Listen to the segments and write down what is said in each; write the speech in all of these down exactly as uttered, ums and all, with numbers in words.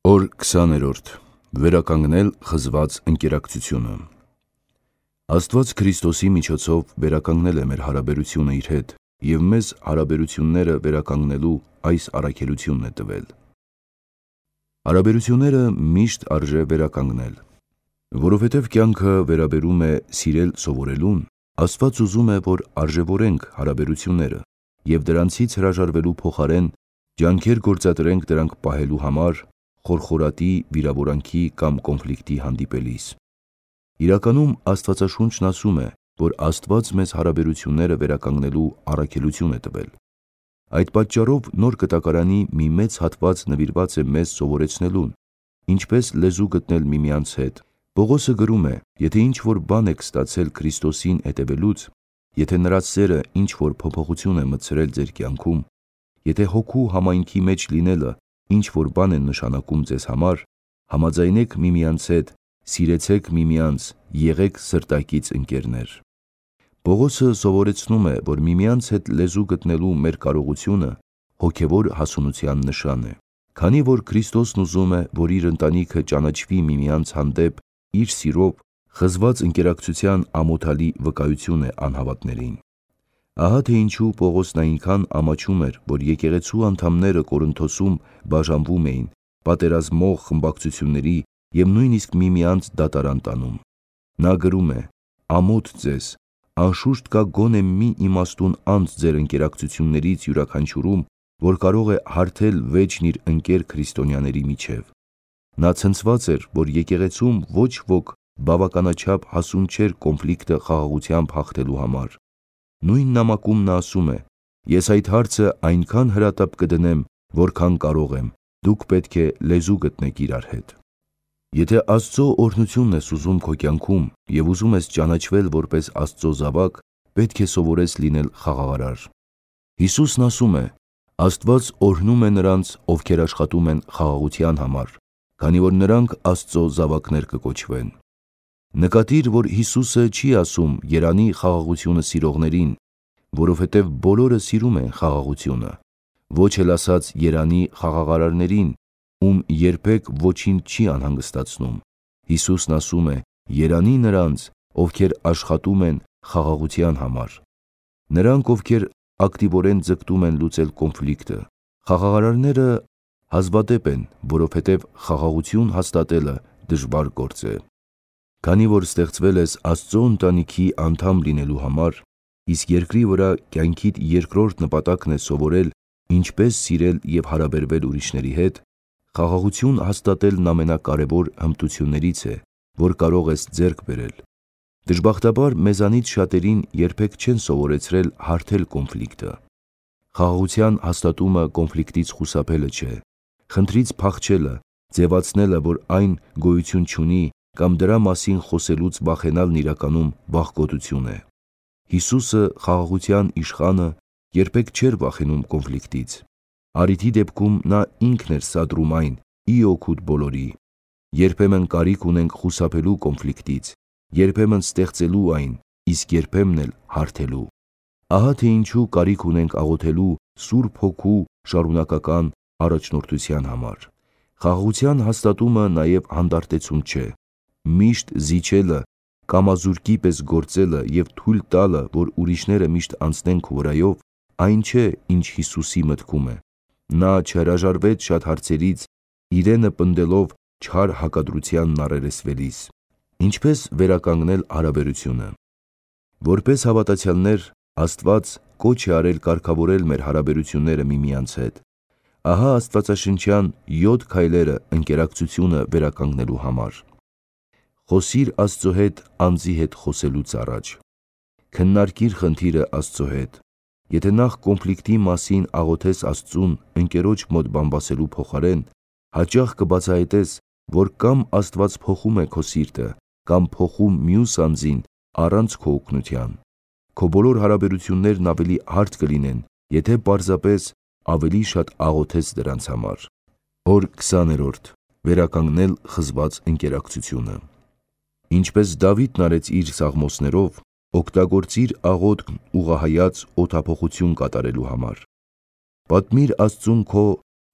Օր քսաներորդ. Վերականգնել խզված ընկերակցությունը։ Աստված Քրիստոսի միջոցով վերականգնել է մեր հարաբերությունը իր հետ և մեզ հարաբերությունները վերականգնելու այս առաքելությունն է տվել։ Հարաբերությունները միշտ արժե վերականգնել։ Որովհետև կյանքը վերաբերում է սիրել սովորելուն, Աստված ուզում է, որ արժևորենք հարաբերությունները և դրանցից հրաժարվելու փոխարեն ջանքեր գործադրենք դրանք պահելու համար, խորխորատի, վիրավորանքի կամ կոնֆլիկտի հանդիպելիս։ Իրականում Աստվածաշունչն ասում է, որ Աստված մեզ հարաբերությունները վերականգնելու առաքելություն է տվել։ Այդ պատճառով նոր կտակարանի մի մեծ հատված նվիրված է մեզ սովորեցնելուն, ինչպես լեզու գտնել միմյանց հետ։ Պողոսը գրում է. եթե ինչ-որ բան եք ստացել Քրիստոսին հետևելուց, եթե նրա սերը ինչ-որ փոփոխություն է մտցրել ձեր կյանքում, եթե հոգու համայնքի մեջ լինելը ինչ-որ բան է նշանակում ձեզ համար, համաձայնեք միմյանց հետ, սիրեցեք միմյանց, եղեք սրտակից ընկերներ։ Պողոսը սովորեցնում է, որ միմյանց հետ լեզու գտնելու մեր կարողությունը հոգևոր հասունության նշան է։ Քանի որ Քրիստոսն ուզում է, որ իր ընտանիքը ճանաչվի միմյանց հանդեպ իր սիրով, խզված ընկերակցության ամոթալի վկայություն է անհավատներին։ Ահա թե ինչու Պողոսն այնքան ամաչում էր, որ եկեղեցու անդամները Կորինթոսում բաժանվում էին, պատերազմող խմբակցությունների և նույնիսկ միմյանց դատարան տանում։ Նա գրում է. «Ամոթ ձեզ, անշուշտ կա գոնե մի իմաստուն անձ ձեր ընկերակցություններից յուրաքանչյուրում, որ կարող է հարթել վեճն իր ընկեր քրիստոնյաների միջև»։ Նա ցնցված էր, որ եկեղեցում ոչ ոք բավականաչափ հասուն չէր կոնֆլիկտը խաղաղությամբ հաղթելու համար։ Նույն նամակում նա ասում է. «Ես այդ հարցը այնքան հրատապ կդնեմ, որքան կարող եմ, դուք պետք է լեզու գտնեք իրար հետ»։ Եթե Աստծո օրհնությունն ես ուզում քո կյանքում և ուզում ես ճանաչվել որպես Աստծո զավակ, պետք է սովորես լինել խաղաղարար։ Հիսուսն ասում է. «Աստված օրհնում է նրանց, ովքեր աշխատում են խաղաղության համար, քանի որ նրանք Աստծո զավակներ կկոչվեն»։ Նկատիր, որ Հիսուսը չի ասում երանի խաղաղությունը սիրողներին, որովհետև բոլորը սիրում են խաղաղությունը, ոչ էլ ասաց երանի խաղաղարարներին, ում երբեք ոչինչ չի անհանգստացնում։ Հիսուսն ասում է. «Երանի նրանց, ովքեր աշխատում են խաղաղության համար»։ Նրանք, ովքեր ակտիվորեն ձգտում են լուծել կոնֆլիկտը։ Խաղաղարարները հազվադեպ են, որովհետև խաղաղություն հաստատելը դժվար գործ է։ Քանի որ ստեղծվել ես Աստծո ընտանիքի անդամ լինելու համար, իսկ երկրի վրա կյանքիդ երկրորդ նպատակն է սովորել ինչպես սիրել և հարաբերվել ուրիշների հետ, խաղաղություն հաստատելն ամենակարևոր հմտություններից է, որ կարող ես ձեռք բերել։ Դժբախտաբար մեզանից շատերին երբեք չեն սովորեցրել հարթել կոնֆլիկտը։ Խաղաղության հաստատումը կոնֆլիկտից խուսափելը չէ, խնդրից փախչելը, ձևացնելը, որ այն գոյություն չունի, կամ դրա մասին խոսելուց վախենալն իրականում վախկոտություն է։ Հիսուսը, խաղաղության իշխանը, երբեք չէր վախենում կոնֆլիկտից։ Առիթի դեպքում նա ինքն էր սադրում այն՝ ի օգուտ բոլորի։ Երբեմն կարիք ունենք խուսափելու կոնֆլիկտից, երբեմն ստեղծելու այն, իսկ երբեմն էլ հարթելու։ Ահա թե ինչու կարիք ունենք աղոթելու Սուրբ Հոգու շարունակական առաջնորդության համար։ Խաղաղության հաստատումը նաև հանդարտեցում չէ։ Միշտ զիջելը, կամազուրկի պես գործելը և թույլ տալը, որ ուրիշները միշտ անցնեն քո վրայով, այն չէ, ինչ Հիսուսի մտքում է։ Նա չհրաժարվեց շատ հարցերից, իրենը պնդելով չար հակադրությանն առերեսվելիս։ Ինչպես վերականգնել հարաբերությունը։ Որպես հավատացյալներ, Աստված կոչ է արել կարգավորել մեր հարաբերությունները միմյանց հետ։ Ահա աստվածաշնչյան յոթ քայլերը ընկերակցությունը վերականգնելու համար։ Խոսիր Աստծո հետ անձի հետ խոսելուց առաջ։ Քննարկիր խնդիրը Աստծո հետ։ Եթե նախ կոնֆլիկտի մասին աղոթես Աստծուն ընկերոջ մոտ բամբասելու փոխարեն, հաճախ կբացահայտես, որ կամ Աստված փոխում է քո սիրտը, կամ փոխում մյուս անձին առանց քո օգնության։ Քո բոլոր հարաբերություններն ավելի հարթ կլինեն, եթե պարզապես ավելի շատ աղոթես դրանց համար։ Օր քսաներորդ. Վերականգնել խզված ընկերակցությունը։ Ինչպես Դավիթն արեց իր սաղմոսներով, օգտագործիր աղոթքն ուղղահայաց օդափոխություն կատարելու համար։ Պատմիր Աստծուն քո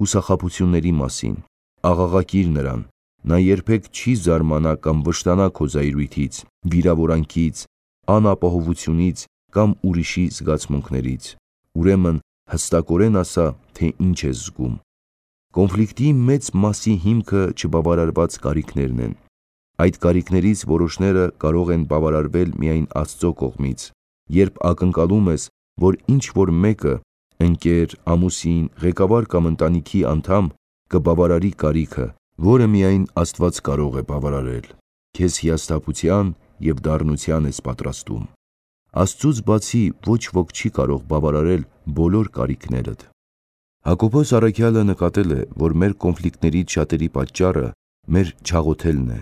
հուսախաբությունների մասին, աղաղակիր նրան, նա երբեք չի զարմանա կամ վշտանա քո զայրույթից, վիրավորանքից, անապահովությունից կամ ուրիշի զգացմունքներից։ Ուրեմն հստակորեն ասա, թե ինչ ես զգում։ Կոնֆլիկտի մեծ մասի հիմքը չբավարարված կարիքներն են։ Այդ կարիքներից որոշները կարող են բավարարվել միայն Աստծո կողմից, երբ ակնկալում ես, որ ինչ-որ մեկը, ընկեր, ամուսին, ղեկավար կամ ընտանիքի անդամ կբավարարի կարիքը, որը միայն Աստված կարող է բավարարել։ Քեզ հիասթափության և դառնության ես պատրաստում։ Աստծուց բացի ոչ ոք չի կարող բավարարել բոլոր կարիքներդ։ Հակոբոս առաքյալը նկատել է, որ մեր կոնֆլիկտներից շատերի պատճառը մեր չաղոթելն է։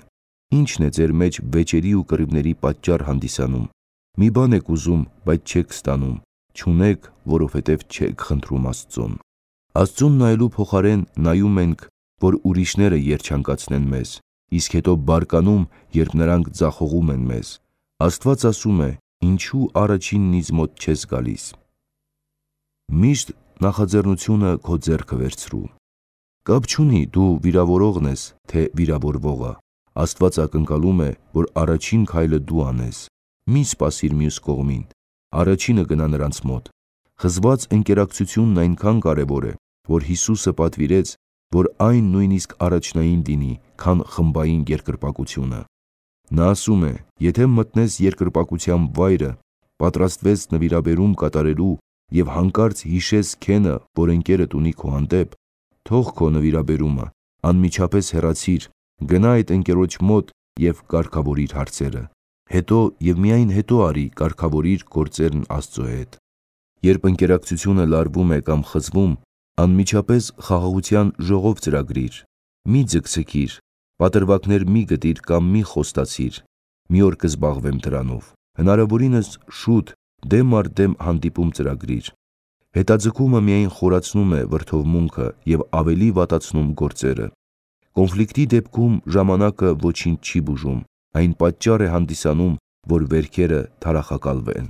Ի՞նչն է ձեր մեջ վեճերի ու կռիվների պատճառ հանդիսանում։ Մի բան եք ուզում, բայց չեք ստանում, չունեք, որովհետև չեք խնդրում Աստծուն։ Աստծուն նայելու փոխարեն նայում ենք, որ ուրիշները երջանկացնեն մեզ, իսկ հետո բարկանում, երբ նրանք ձախողում են մեզ։ Աստված ասում է. ինչու առաջինն ինձ մոտ չես գալիս։ Միշտ նախաձեռնությունը քո ձեռքը վերցրու։ Կապ չունի դու վիրավորողն ես, թե վիրավորվողը։ Աստված ակնկալում է, որ առաջին քայլը դու անես։ Մի սպասիր մյուս կողմին, առաջինը գնա նրանց մոտ։ Խզված ընկերակցությունն այնքան կարևոր է, որ Հիսուսը պատվիրեց, որ այն նույնիսկ առաջնային լինի, քան խմբային երկրպագությունը։ Նա ասում է, եթե մտնես երկրպագության վայրը, պատրաստվես նվիրաբերում կատարելու և հանկարծ հիշես քենը, որ ընկերդ ունի քո հանդեպ, թող քո նվիրաբերումը, անմիջապես հեռացիր, գնա այդ ընկերոջ մոտ և կարգավորիր հարցերը։ Հետո և միայն հետո արի կարգավորիր գործերն Աստծո հետ։ Երբ ընկերակցությունը լարվում է կամ խզվում, անմիջապես խաղաղության ժողով ծրագրիր։ Մի ձգձգիր, պատրվակներ մի գտիր կամ մի խոստացիր։ Մի օր կզբաղվեմ դրանով։ Հնարավորինս շուտ դեմ առ դեմ հանդիպում ծրագրիր։ Հետաձգումը միայն խորացնում է վրդովմունքը և ավելի վատացնում գործերը։ Կոնֆլիկտի դեպքում ժամանակը ոչինչ չի բուժում, այն պատճառ է հանդիսանում, որ վերքերը թարախակալվեն։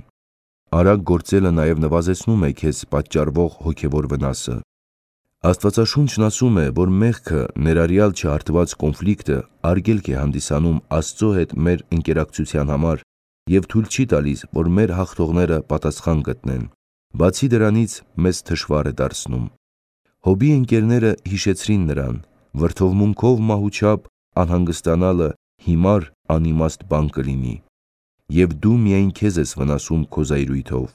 Արագ գործելը նաև նվազեցնում է քեզ պատճառվող հոգևոր վնասը։ Աստվածաշունչն ասում է, որ մեղքը, ներառյալ չհարթված կոնֆլիկտը, արգելք է հանդիսանում Աստծո հետ մեր ընկերակցության համար և թույլ չի տալիս, որ մեր հաղթողները պատասխան գտնեն։ Բացի դրանից, մեզ թշվառ է դարձնում։ Հոբի ընկերները հիշեցրին նրան. վրդովմունքով մահուչապ անհանգստանալը հիմար անիմաստ բան կլինի, և դու միայն քեզ ես վնասում քո զայրույթով։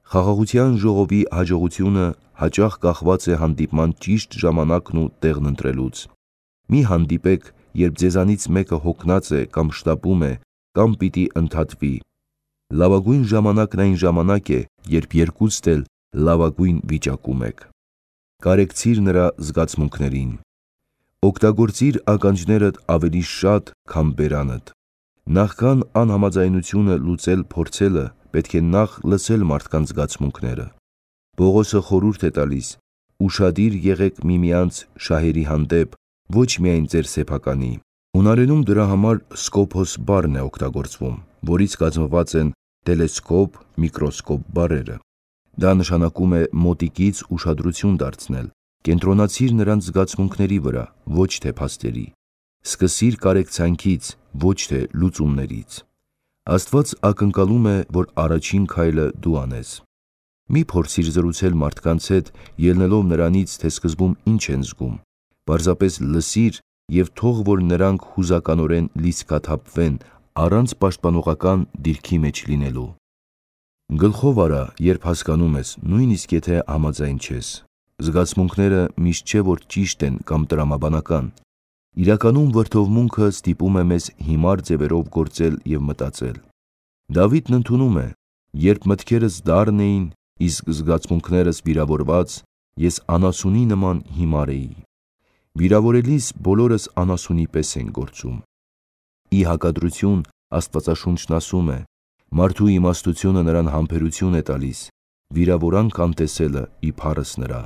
Խաղաղության ժողովի հաջողությունը հաճախ կախված է հանդիպման ճիշտ ժամանակն ու տեղն ընտրելուց։ Մի հանդիպեք, երբ ձեզանից մեկը հոգնած է կամ շտապում է, կամ պիտի ընդհատվի։ Լավագույն ժամանակն այն ժամանակ է, երբ երկուստ էլ լավագույն վիճակում եք։ Կարեկցիր նրա զգացմունքներին։ Օգտագործիր ականջներդ ավելի շատ, քան բերանդ։ Նախքան անհամաձայնությունը լուծել փորձելը, պետք է նախ լսել մարդկանց զգացմունքները։ Պողոսը խորհուրդ է տալիս. ուշադիր եղեք միմյանց շահերի հանդեպ, ոչ միայն ձեր սեփականի։ Հունարենում դրա համար սկոփոս բառն է օգտագործվում, որից կազմված են տելեսկոպ, միկրոսկոպ բառերը։ Դա նշանակում է մոտիկից ուշադրություն դարձնել, կենտրոնացիր նրանց զգացմունքների վրա, ոչ թե փաստերի։ Սկսիր կարեկցանքից, ոչ թե լուծումներից։ Աստված ակնկալում է, որ առաջին քայլը դու անես։ Մի փորձիր զրուցել մարդկանց հետ, ելնելով նրանից, թե սկզբում ինչ են զգում։ Պարզապես լսիր և թող որ նրանք հուզականորեն լիցքաթափվեն, առանց պաշտպանողական դիրքի մեջ լինելու։ Գլխով արա, երբ հասկանում ես, նույնիսկ եթե համաձայն չես։ Զգացմունքները միշտ չէ, որ ճիշտ են կամ տրամաբանական։ Իրականում վրդովմունքը ստիպում է մեզ հիմար ձևերով գործել և մտածել։ Դավիթն ընդունում է. երբ մտքերս դառն էին, իսկ զգացմունքներս վիրավորված, ես անասունի նման հիմար էի։ Վիրավորելիս բոլորս անասունի պես ենք գործում։ Ի հակադրություն, Աստվածաշունչն ասում է. մարդու իմաստությունը նրան համբերություն է տալիս, վիրավորանք անտեսելը ի փառս նրա։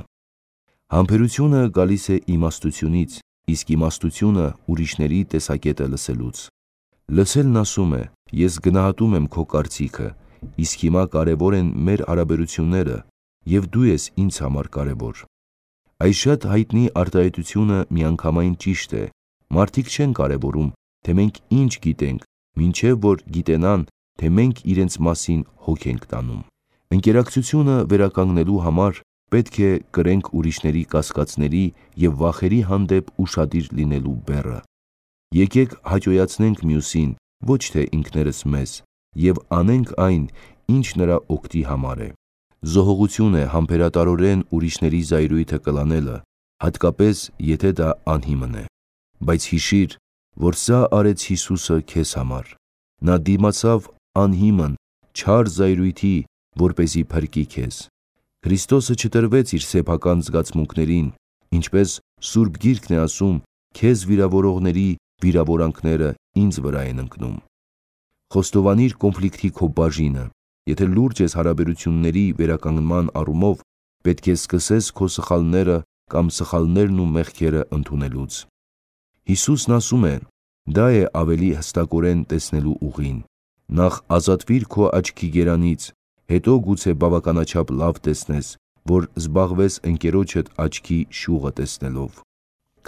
Համբերությունը գալիս է իմաստությունից, իսկ իմաստությունը ուրիշների տեսակետը լսելուց։ Լսելն ասում է. ես գնահատում եմ քո կարծիքը, իսկ հիմա կարևոր են մեր հարաբերությունները, և դու ես ինձ համար կարևոր։ Այս շատ հայտնի արտահայտությունը միանգամայն ճիշտ է։ Մարդիկ չեն կարևորում, թե մենք ինչ գիտենք, մինչև որ գիտենան, թե մենք իրենց մասին հոգ ենք տանում։ Ընկերակցությունը վերականգնելու համար պետք է կրենք ուրիշների կասկածների և վախերի հանդեպ ուշադիր լինելու բեռը։ Եկեք հաճոյացնենք մյուսին, ոչ թե ինքներս մեզ, և անենք այն, ինչ նրա օգտի համար է։ Զոհողություն է համբերատարորեն ուրիշների զայրույթը կլանելը, հատկապես եթե դա անհիմն է։ Բայց հիշիր, որ սա արեց Հիսուսը քեզ համար։ Նա դիմացավ անհիմն, չար զայրույթի, որպեսզի փրկի քեզ։ Քրիստոսը չտրվեց իր սեփական զգացմունքներին, ինչպես Սուրբ Գիրքն է ասում, քեզ վիրավորողների վիրավորանքները ինձ վրա են ընկնում։ Խոստովանիր կոնֆլիկտի քո բաժինը։ Եթե լուրջ ես հարաբերությունների վերականգնման առումով, պետք է սկսես քո սխալները կամ սխալներն ու մեղքերը ընդունելուց։ Հիսուսն ասում է, դա է ավելի հստակորեն տեսնելու ուղին։ Նախ ազատվիր քո աչքի գերանից, հետո գուցե բավականաչափ լավ տեսնես, որ զբաղվես ընկերոջդ աչքի շուղը տեսնելով։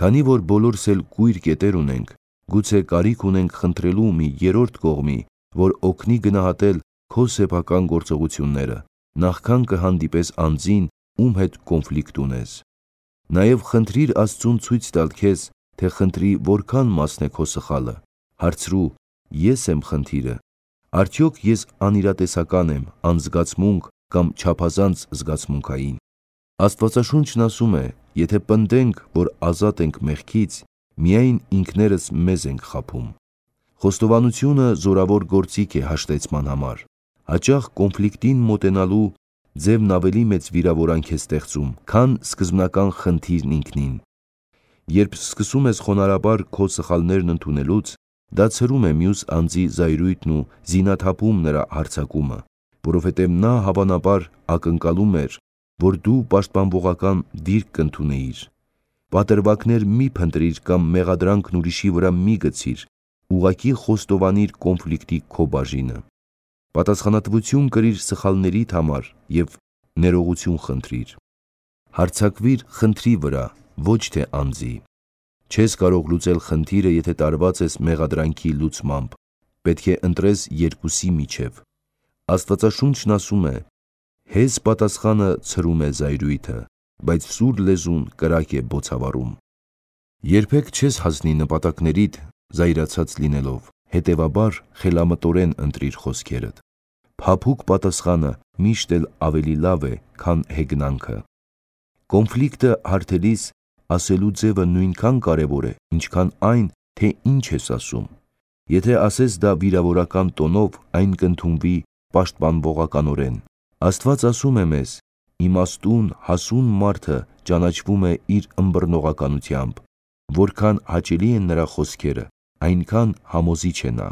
Քանի որ բոլորս էլ կույր կետեր ունենք, գուցե կարիք ունենք խնդրելու մի երրորդ կողմի, որ օգնի գնահատել քո սեփական գործողությունները, նախքան կհանդիպես անձին, ում հետ կոնֆլիկտ ունես։ Նաև խնդրիր Աստծուն ցույց տալ քեզ, թե խնդրի որքան մասն է քո սխալը։ Հարցրու. ես եմ խնդիրը։ Արդյոք ես անիրատեսական եմ, անզգացմունք կամ չափազանց զգացմունքային։ Աստվածաշունչն ասում է, եթե պնդենք, որ ազատ ենք մեղքից, միայն ինքներս մեզ ենք խաբում։ Խոստովանությունը զորավոր գործիք է հաշտեցման համար։ Հաճախ կոնֆլիկտին մոտենալու ձևն ավելի մեծ վիրավորանք է ստեղծում, քան սկզբնական խնդիրն ինքնին։ Երբ սկսում ես խոնարհաբար քո սխալներն ընդունելուց, դա ցրում է մյուս անձի զայրույթն ու զինաթափում նրա հարձակումը, որովհետև նա հավանաբար ակնկալում էր, որ դու պաշտպանվողական դիրք կընդունեիր։ Պատրվակներ մի փնտրիր կամ մեղադրանքն ուրիշի վրա մի գցիր, ուղղակի խոստովանիր կոնֆլիկտի քո բաժինը։ Պատասխանատվություն կրիր սխալներիդ համար և ներողություն խնդրիր։ Հարձակվիր խնդրի վրա, ոչ թե անձի։ Չես կարող լուծել խնդիրը, եթե տարված ես մեղադրանքի լուծմամբ։ Պետք է ընտրես երկուսի միջև։ Աստվածաշունչն ասում է. հեզ պատասխանը ցրում է զայրույթը, բայց սուր լեզուն կրակ է բոցավառում։ Երբեք չես հասնի նպատակներիդ զայրացած լինելով, հետևաբար խելամտորեն ընտրիր խոսքերդ։ Փափուկ պատասխանը միշտ էլ ավելի լավ է, քան հեգնանքը։ Կոնֆլիկտը հարթելիս ասելու ձևը նույնքան կարևոր է, ինչքան այն, թե ինչ ես ասում։ Եթե ասես դա վիրավորական տոնով, այն կընդունվի պաշտպանվողականորեն։ Աստված ասում է մեզ. իմաստուն, հասուն մարդը ճանաչվում է իր ըմբռնողականությամբ, որքան հաճելի են նրա խոսքերը, այնքան համոզիչ է նա։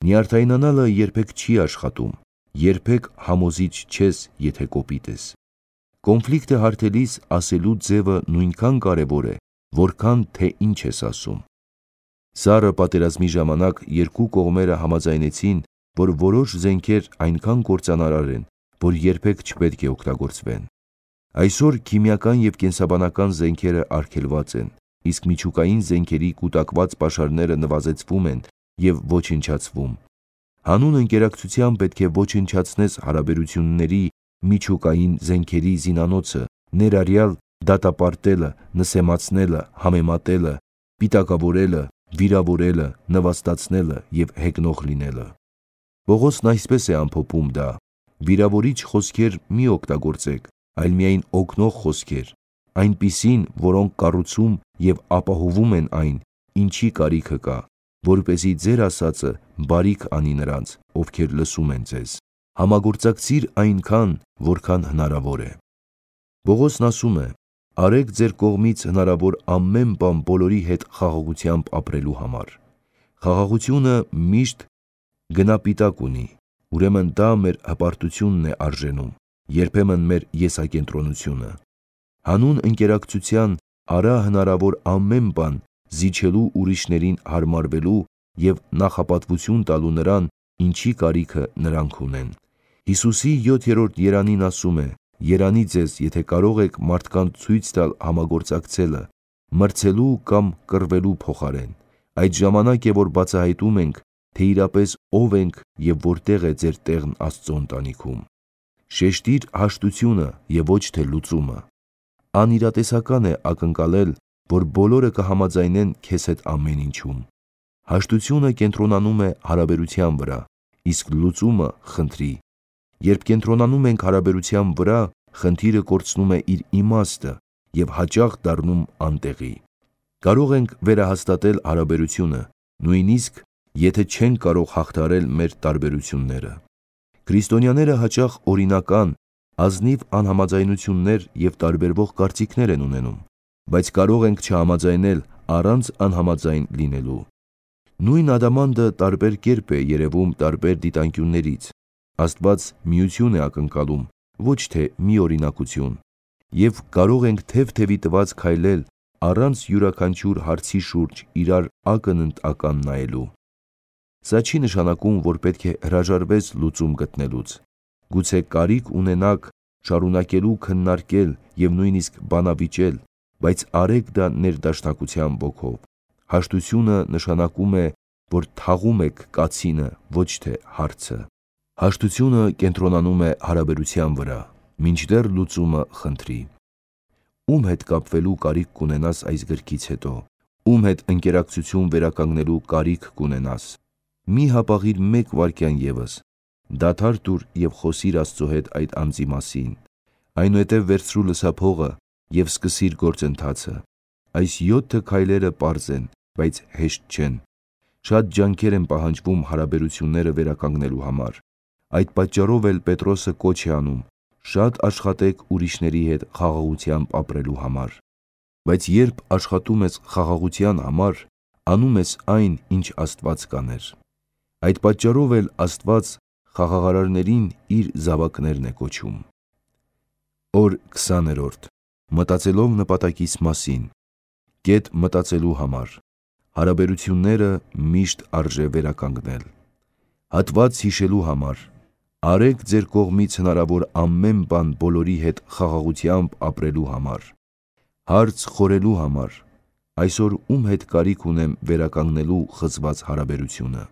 Նյարդայնանալը երբեք չի աշխատում, երբեք համոզիչ չես, եթե կոպիտ ես։ Կոնֆլիկտը հարթելիս ասելու ձևը նույնքան կարևոր է, որքան թե ինչ ես ասում։ Սառը պատերազմի ժամանակ երկու կողմերը համաձայնեցին, որ որոշ զենքեր այնքան կործանարար են, որ երբեք չպետք է օգտագործվեն։ Այսօր քիմիական և կենսաբանական զենքերը արգելված են, իսկ միջուկային զենքերի կուտակված պաշարները նվազեցվում են և ոչնչացվում։ Հանուն ընկերակցության պետք է ոչնչացնես հարաբերությունների միջուկային զենքերի զինանոցը, ներառյալ դատապարտելը, նսեմացնելը, համեմատելը, պիտակավորելը, վիրավորելը, նվաստացնելը և հեգնող լինելը։ Պողոսն այսպես է ամփոփում դա. վիրավորիչ խոսքեր մի օգտագործեք, այլ միայն օգնող խոսքեր, այնպիսին, որոնք կառուցում և ապահովում են այն, ինչի կարիքը կա, որպեսզի ձեր ասածը բարիք անի նրանց, ովքեր լսում են ձեզ։ Համագործակցիր այնքան, որքան հնարավոր է։ Պողոսն ասում է. արեք ձեր կողմից հնարավոր ամեն բան բոլորի հետ խաղաղությամբ ապրելու համար։ Խաղաղությունը միշտ գնապիտակ ունի, ուրեմն դա մեր հպարտությունն է արժենում, երբեմն մեր եսակենտրոնությունը։ Հանուն ընկերակցության արա հնարավոր ամեն բան զիջելու ուրիշներին հարմարվելու և նախապատվություն տալու նրան, ինչի կարիքը նրանք ունեն։ Հիսուսի յոթերորդ երանին ասում է. Երանի ձեզ, եթե կարող եք մարդկանց ցույց տալ համագործակցելը, մրցելու կամ կռվելու փոխարեն։ Այդ ժամանակ է, որ բացահայտում ենք, թե իրապես ով ենք և որտեղ է ձեր տեղն Աստծո ընտանիքում։ Շեշտիր հաշտությունը և ոչ թե լուծումը։ Անիրատեսական է ակնկալել, որ բոլորը կհամաձայնեն քեզ հետ ամեն ինչում։ Հաշտությունը կենտրոնանում է հարաբերության վրա, իսկ լուծումը խնդրի։ Երբ կենտրոնանում ենք հարաբերության վրա, խնդիրը կորցնում է իր իմաստը և հաճախ դառնում անտեղի։ Կարող ենք վերահաստատել հարաբերությունը, նույնիսկ եթե չենք կարող հաղթահարել մեր տարբերությունները։ Քրիստոնյաները հաճախ օրինական, ազնիվ անհամաձայնություններ և տարբերվող կարծիքներ են ունենում, բայց կարող ենք չհամաձայնել առանց անհամաձայն լինելու։ Նույն ադամանդը տարբեր կերպ է երևում տարբեր դիտանկյուններից։ Աստված միություն է ակնկալում, ոչ թե միօրինակություն, և կարող ենք թև-թևի տված քայլել առանց յուրաքանչյուր հարցի շուրջ իրար ակնընդ-ական նայելու։ Սա չի նշանակում, որ պետք է հրաժարվես լուծում գտնելուց։ Գուցե կարիք ունենաք շարունակելու քննարկել և նույնիսկ բանավիճել, բայց արեք դա ներդաշնակության ոգով։ Հաշտությունը նշանակում է, որ թաղում եք կացինը, ոչ թե հարցը։ Հաշտությունը կենտրոնանում է հարաբերության վրա, մինչդեռ լուծումը խնդրի։ Ում հետ կապվելու կարիք կունենաս այս գրքից հետո։ Ում հետ ընկերակցություն վերականգնելու կարիք կունենաս։ Մի հապաղիր մեկ վայրկյան ևս, դադար տուր և խոսիր Աստծո հետ այդ անձի մասին։ Այնուհետև վերցրու լսափողը և սկսիր գործընթացը։ Այս յոթը քայլերը պարզ են, բայց հեշտ չեն։ Շատ ջանքեր են պահանջվում հարաբերությունները վերականգնելու համար։ Այդ պատճառով էլ Պետրոսը կոչ է անում. շատ աշխատեք ուրիշների հետ խաղաղությամբ ապրելու համար։ Բայց երբ աշխատում ես խաղաղության համար, անում ես այն, ինչ Աստված կաներ։ Այդ պատճառով էլ Աստված խաղաղարարներին իր զավակներն է կոչում։ Օր քսաներորդ. Մտածելով նպատակիս մասին։ Կետ մտածելու համար։ Հարաբերությունները միշտ արժե վերականգնել։ Հատված հիշելու համար։ Արեք ձեր կողմից հնարավոր ամեն բան բոլորի հետ խաղաղությամբ ապրելու համար։ Հարց խորելու համար։ Այսօր ում հետ կարիք ունեմ վերականգնելու խզված հարաբերությունը։